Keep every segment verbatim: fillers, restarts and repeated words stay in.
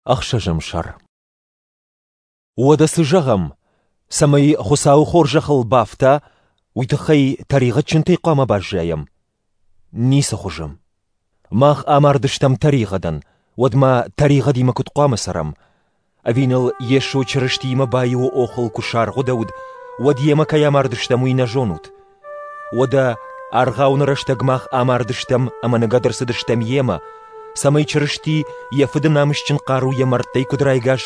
Ӕхсӕзӕм сӕр. Уӕдӕ цы зӕгъӕм? Цӕмӕй Хуыцауы хорзӕхыл бафта, уый тыххӕй тӕригъӕдджынтӕй хъуамӕ баззайӕм? Ницы хуызы. Мах амардыстӕм тӕригъӕдӕн, уӕд ма тӕригъӕдимӕ куыд хъуамӕ цӕрӕм? Ӕви ныл Йесо Чырыстиимӕ баиуы охыл куы саргъуыдӕуыд, уӕд йемӕ кӕй амардыстӕм, уый нӕ зонут? Уӕдӕ аргъауыны рӕстӕг мах амардыстӕм ӕмӕ ныгӕд ӕрцыдыстӕм йемӕ, цӕмӕй Чырысти йӕ Фыды намысджын хъаруйӕ мӕрдтӕй куыд райгас,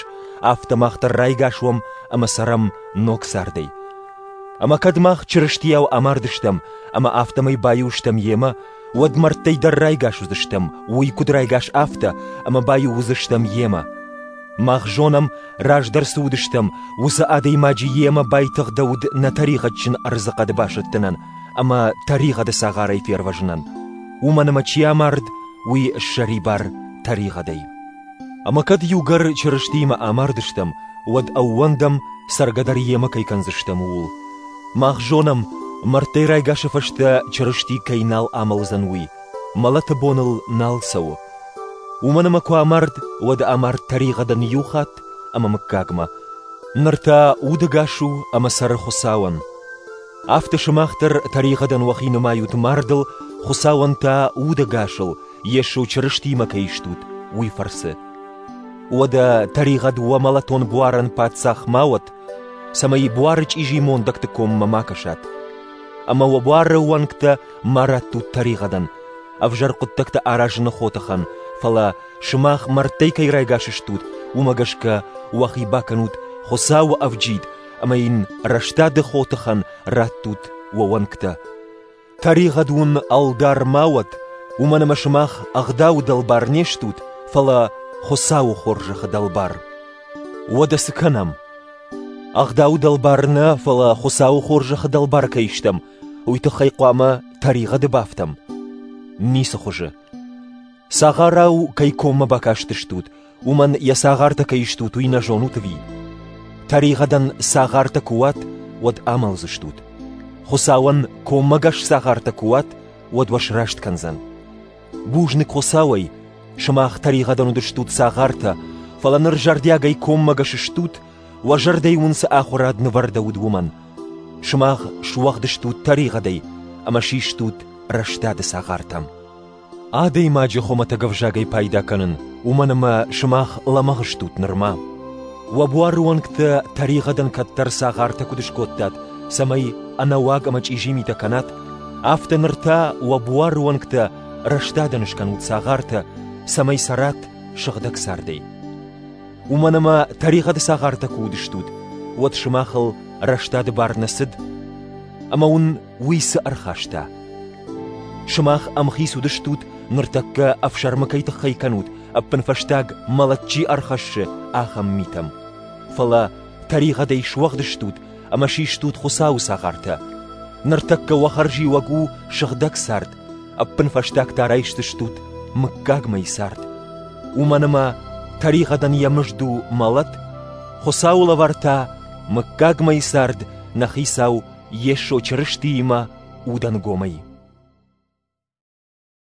афтӕ мах дӕр райгас уӕм ӕмӕ цӕрӕм ног цардӕй. Ӕмӕ кӕд мах Чырыстийау амардыстӕм ӕмӕ афтӕмӕй баиу стӕм йемӕ, уӕд мӕрдтӕй дӕр райгас уыдзыстӕм, уый куыд райгас, афтӕ, ӕмӕ баиу уыдзыстӕм йемӕ. Мах зонӕм, раздӕр цы уыдыстӕм, уыцы адӕймаджы йемӕ байтыгъдӕуыд нӕ тӕригъӕдджын ӕрдзыхъӕды басӕттынӕн ӕмӕ тӕригъӕды цагъарӕй фервӕзынӕн. Уымӕн ӕмӕ чи амард, уый ссӕрибар тӕригъӕдӕй. Ӕмӕ кӕд иугӕр Чырыстиимӕ амардыстӕм, уӕд ӕууӕндӕм, цӕргӕ дӕр йемӕ кӕй кӕндзыстӕм, ууыл. Мах зонӕм, мӕрдтӕй райгасы фӕстӕ Чырысти кӕй нал амӕлдзӕн, уый, мӕлӕты бон ыл нал цӕуы. Уымӕн ӕмӕ куы амард, уӕд амард тӕригъӕдӕн иу хатт ӕмӕ мыггагмӕ. Ныр та удӕгас у ӕмӕ цӕры Хуыцауӕн. Афтӕ сымах дӕр тӕригъӕдӕн уӕхи нымайут мардыл, Хуыцауӕн та удӕгасыл, Йесо Чырыстиимӕ кӕй стут, уый фӕрцы. Уӕдӕ тӕригъӕд уӕ мӕлӕтон буарӕн паддзах ма уӕд, цӕмӕй буары чъизи мондӕгты коммӕ ма кӕсат. Ӕмӕ уӕ буары уӕнгтӕ ма раттут тӕригъӕдӕн, ӕвзӕр хъуыддӕгтӕ аразыны хотыхӕн, фӕлӕ сымах мӕрдтӕй кӕй райгас стут, уымӕ гӕсгӕ уӕхи бакӕнут Хуыцауы ӕвджид ӕмӕ йын рӕстады хотыхӕн раттут уӕ уӕнгтӕ. Тӕригъӕд уын ӕлдар ма уӕд, уымӕн ӕмӕ сымах ӕгъдауы дӕлбар не стут, фӕлӕ Хуыцауы хорзӕхы дӕлбар. Уӕдӕ цы кӕнӕм? Ӕгъдауы дӕлбар нӕ, фӕлӕ Хуыцауы хорзӕхы дӕлбар кӕй стӕм, уый тыххӕй хъуамӕ тӕригъӕды бафтӕм? Ницы хуызы. Цагъарау кӕй коммӕ бакастыстут, уымӕн йӕ цагъартӕ кӕй стут, уый нӕ зонут ӕви? Тӕригъӕдӕн цагъартӕ куы уат, уӕд амӕлдзыстут. Хуыцауӕн коммӕгӕс цагъартӕ куы уат, уӕд уӕ сраст кӕндзӕн. Бузныг Хуыцауӕй, сымах тӕригъӕдӕн уыдыстут цагъартӕ, фӕлӕ ныр зӕрдиагӕй коммӕгӕс стут, уӕ зӕрдӕйы уын цы ахуырад нывӕрдӕуыд, уымӕн. Сымах суӕгъд стут тӕригъӕдӕй ӕмӕ систут рӕстады цагъартӕм. Адӕймаджы хуымӕтӕг ӕвзагӕй пайда кӕнын, уымӕн ӕмӕ сымах лӕмӕгъ стут нырма. Уӕ буары уӕнгтӕ тӕригъӕдӕн кӕддӕр цагъартӕ куыд скодтат, цӕмӕй ӕнӕуаг ӕмӕ чъизи митӕ кӕнат, афтӕ ныр та уӕ буары уӕнгтӕ рӕстадӕн скӕнут цагъартӕ, цӕмӕй цӕрат сыгъдӕг цардӕй. Уымӕн ӕмӕ тӕригъӕды цагъартӕ куы уыдыстут, уӕд сымахыл рӕстады бар нӕ цыд, ӕмӕ уын уый цы ӕрхаста? Сымах ӕмхиц уыдыстут, ныртӕккӕ ӕфсӕрмы кӕй тыххӕй кӕнут, ӕппынфӕстаг мӕлӕт чи ӕрхӕссы, ахӕм митӕм. Фӕлӕ тӕригъӕдӕй суӕгъд стут ӕмӕ систут Хуыцауы цагъартӕ. Ныртӕккӕ уӕ хӕрзиуӕг у сыгъдӕг цард, ӕппынфӕстаг та райсдзыстут мыггагмӕйы цард. Уымӕн ӕмӕ тӕригъӕдӕн йӕ мызд у мӕлӕт, Хуыцауы лӕвар та мыггагмӕйы цард нӕ Хицау Йесо Чырыстиимӕ удӕнгомӕй.